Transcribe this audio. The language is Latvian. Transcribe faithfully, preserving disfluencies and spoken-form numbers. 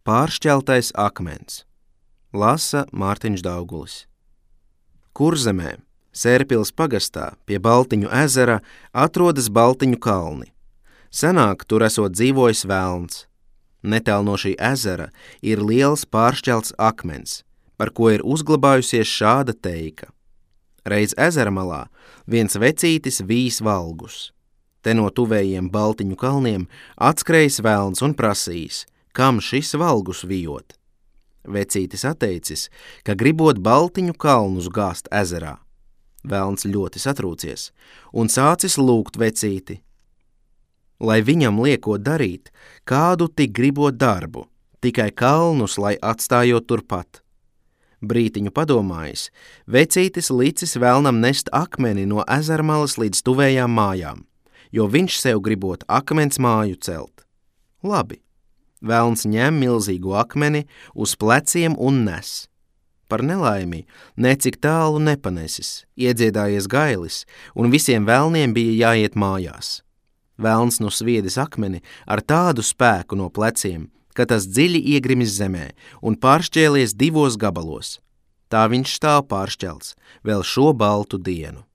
Pāršķeltais akmens. Lasa Mārtiņš Daugulis. Kurzemē, Sērpils pagastā, pie Baltiņu ezera, atrodas Baltiņu kalni. Senāk tur esot dzīvojis velns. Netālu no šī ezera ir liels pāršķelts akmens, par ko ir uzglabājusies šāda teika. Reiz ezera malā viens vecītis vīs valgus. Te no tuvējiem Baltiņu kalniem atskrējis velns un prasījis, kam šis valgus vijot. Vecītis atteicis, ka gribot Baltiņu kalnus gāzt ezerā. Velns ļoti satrūcies un sācis lūgt vecīti, lai viņam liekot darīt, kādu tik gribot darbu, tikai kalnus, lai atstājot turpat. Brītiņu padomājis, vecītis licis velnam nest akmeni no ezermalas līdz tuvējām mājām, jo viņš sev gribot akmens māju celt. Labi, velns ņem milzīgu akmeni uz pleciem un nes. Par nelaimi necik tālu nepanesis, iedziedājies gailis, un visiem velniem bija jāiet mājās. Velns nu sviedis akmeni ar tādu spēku no pleciem, ka tas dziļi iegrimis zemē un pāršķēlies divos gabalos. Tā viņš stāv pāršķelts vēl šo baltu dienu.